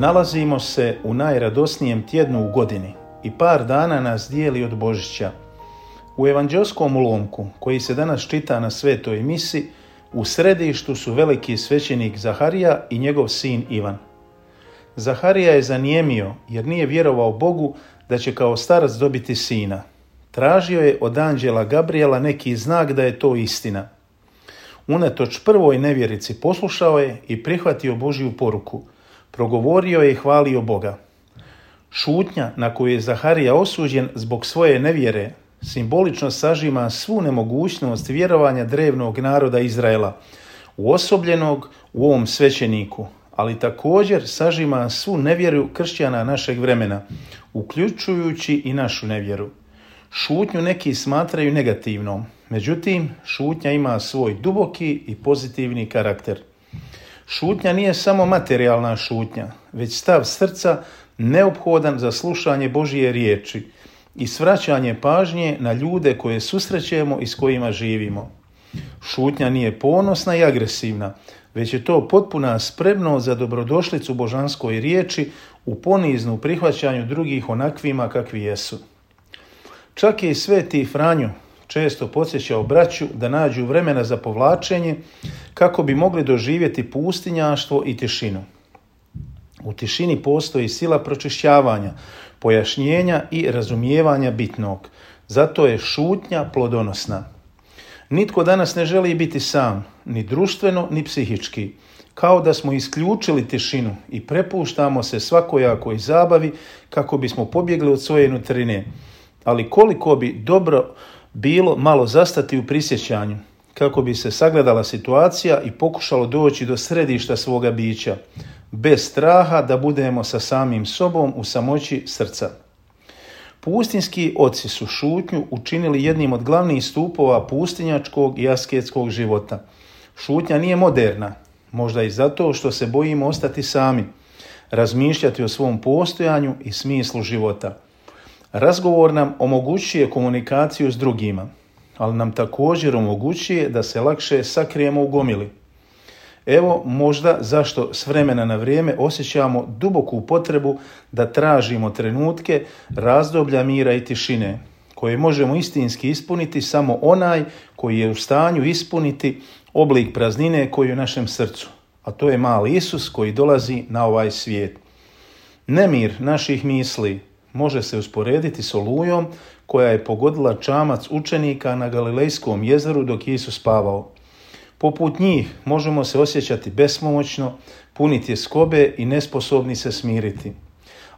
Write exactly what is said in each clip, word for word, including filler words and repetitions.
Nalazimo se u najradosnijem tjednu u godini i par dana nas dijeli od Božića. U evanđelskom ulomku, koji se danas čita na svetoj misi, u središtu su veliki svećenik Zaharija i njegov sin Ivan. Zaharija je zanijemio jer nije vjerovao Bogu da će kao starac dobiti sina. Tražio je od anđela Gabriela neki znak da je to istina. Unatoč prvoj nevjerici poslušao je i prihvatio Božju poruku. Progovorio je i hvalio Boga. Šutnja na koju je Zaharija osuđen zbog svoje nevjere simbolično sažima svu nemogućnost vjerovanja drevnog naroda Izraela, uosobljenog u ovom svećeniku, ali također sažima svu nevjeru kršćana našeg vremena, uključujući i našu nevjeru. Šutnju neki smatraju negativnom, međutim, šutnja ima svoj duboki i pozitivni karakter. Šutnja nije samo materijalna šutnja, već stav srca neophodan za slušanje Božje riječi i svraćanje pažnje na ljude koje susrećemo i s kojima živimo. Šutnja nije ponosna i agresivna, već je to potpuna spremnost za dobrodošlicu božanskoj riječi u poniznu prihvaćanju drugih onakvima kakvi jesu. Čak je i sveti Franjo često podsjećao braću da nađu vremena za povlačenje kako bi mogli doživjeti pustinjaštvo i tišinu. U tišini postoji sila pročišćavanja, pojašnjenja i razumijevanja bitnog. Zato je šutnja plodonosna. Nitko danas ne želi biti sam, ni društveno, ni psihički. Kao da smo isključili tišinu i prepuštamo se svakojakoj zabavi kako bismo pobjegli od svoje nutrine. Ali koliko bi dobro bilo malo zastati u prisjećanju, kako bi se sagledala situacija i pokušalo doći do središta svoga bića, bez straha da budemo sa samim sobom u samoći srca. Pustinski oci su šutnju učinili jednim od glavnih stupova pustinjačkog i asketskog života. Šutnja nije moderna, možda i zato što se bojimo ostati sami, razmišljati o svom postojanju i smislu života. Razgovor nam omogućuje komunikaciju s drugima, ali nam također omogućuje da se lakše sakrijemo u gomili. Evo možda zašto s vremena na vrijeme osjećamo duboku potrebu da tražimo trenutke razdoblja mira i tišine, koje možemo istinski ispuniti samo onaj koji je u stanju ispuniti oblik praznine koji je u našem srcu, a to je mali Isus koji dolazi na ovaj svijet. Nemir naših misli može se usporediti s olujom koja je pogodila čamac učenika na Galilejskom jezeru dok je Isus spavao. Poput njih možemo se osjećati bespomoćno, puni tjeskobe i nesposobni se smiriti.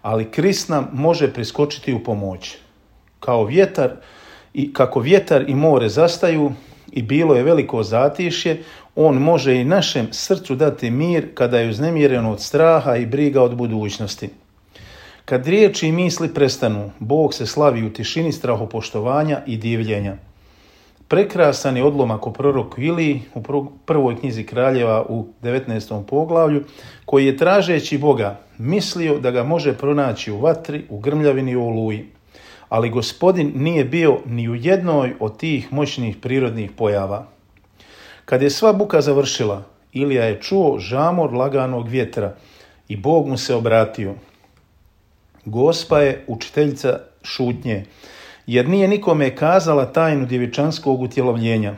Ali Krist nam može priskočiti u pomoć. Kao vjetar i kako vjetar i more zastaju i bilo je veliko zatišje, on može i našem srcu dati mir kada je uznemireno od straha i briga od budućnosti. Kad riječi i misli prestanu, Bog se slavi u tišini strahopoštovanja i divljenja. Prekrasan je odlomak o proroku Iliji u prvoj knjizi Kraljeva u devetnaestom poglavlju, koji je tražeći Boga mislio da ga može pronaći u vatri, u grmljavini i u oluji. Ali Gospodin nije bio ni u jednoj od tih moćnih prirodnih pojava. Kad je sva buka završila, Ilija je čuo žamor laganog vjetra i Bog mu se obratio. Gospa je učiteljica šutnje, jer nije nikome kazala tajnu djevičanskog utjelovljenja.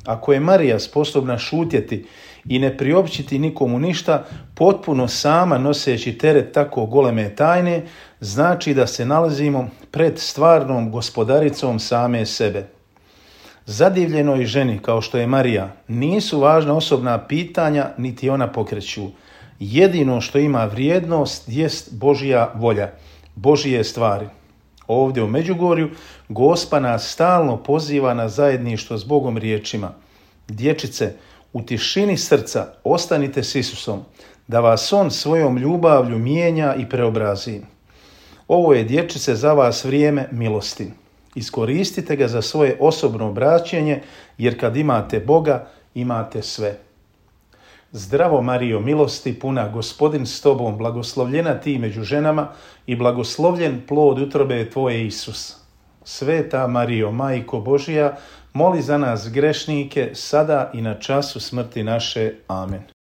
Ako je Marija sposobna šutjeti i ne priopćiti nikomu ništa, potpuno sama noseći teret tako goleme tajne, znači da se nalazimo pred stvarnom gospodaricom same sebe. Zadivljenoj ženi, kao što je Marija, nisu važna osobna pitanja, niti ona pokreću. Jedino što ima vrijednost jest Božja volja, Božje stvari. Ovdje u Međugorju Gospa nas stalno poziva na zajedništvo s Bogom riječima. Dječice, u tišini srca ostanite s Isusom, da vas On svojom ljubavlju mijenja i preobrazi. Ovo je, dječice, za vas vrijeme milosti. Iskoristite ga za svoje osobno obraćenje, jer kad imate Boga, imate sve. Zdravo Marijo, milosti puna, Gospodin s tobom, blagoslovljena ti među ženama i blagoslovljen plod utrobe tvoje Isus. Sveta Marijo, Majko Božja, moli za nas grešnike, sada i na času smrti naše. Amen.